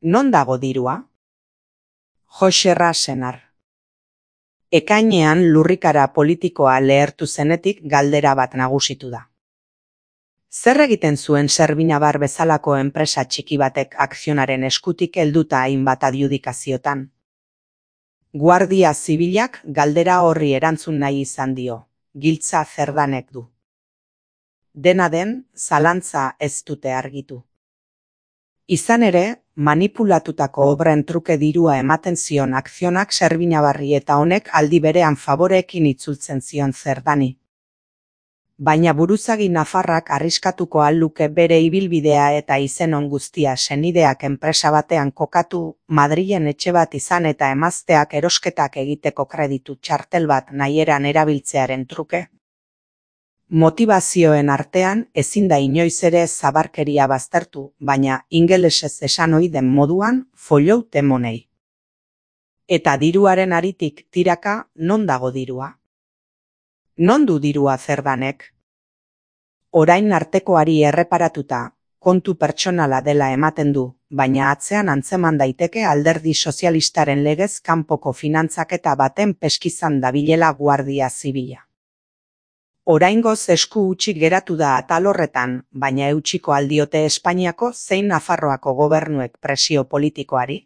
Non dago dirua? Joxerra senar. Ekainean lurrikara politikoa lehertu zenetik galdera bat nagusitu da. Zer egiten zuen Servinabar bezalako enpresa txiki batek akzionaren eskutik helduta hainbat adjudikaziotan? Guardia Zibilak galdera horri erantzun nahi izan dio, giltza Cerdanek du. Dena den, zalantza ez dute argitu. Izan ere, manipulatutako obren truke dirua ematen zion akzionak Servinabarri eta honek aldi berean faboreekin itzultzen zion Cerdani. Baina buruzagi nafarrak arriskatuko al luke bere ibilbidea eta izenon guztia senideak enpresa batean kokatu, Madrilen etxe bat izan eta emazteak erosketak egiteko kreditu txartel bat nahieran erabiltzearen truke? Motivazioen artean ezin da inoiz ere zabarkeria baztertu, baina ingelesez esan ohi den moduan follow the money. Eta diruaren aritik tiraka non dago dirua? Non du dirua Cerdanek? Orain artekoari erreparatuta, kontu pertsonala dela ematen du, baina atzean antzeman daiteke Alderdi Sozialistaren legez kanpoko finantzaketa baten peskizan dabilela Guardia Zibila. Oraingoz esku hutsik geratu da atal horretan, baina eutsiko aldiote Espainiako zein Nafarroako gobernuek presio politikoari?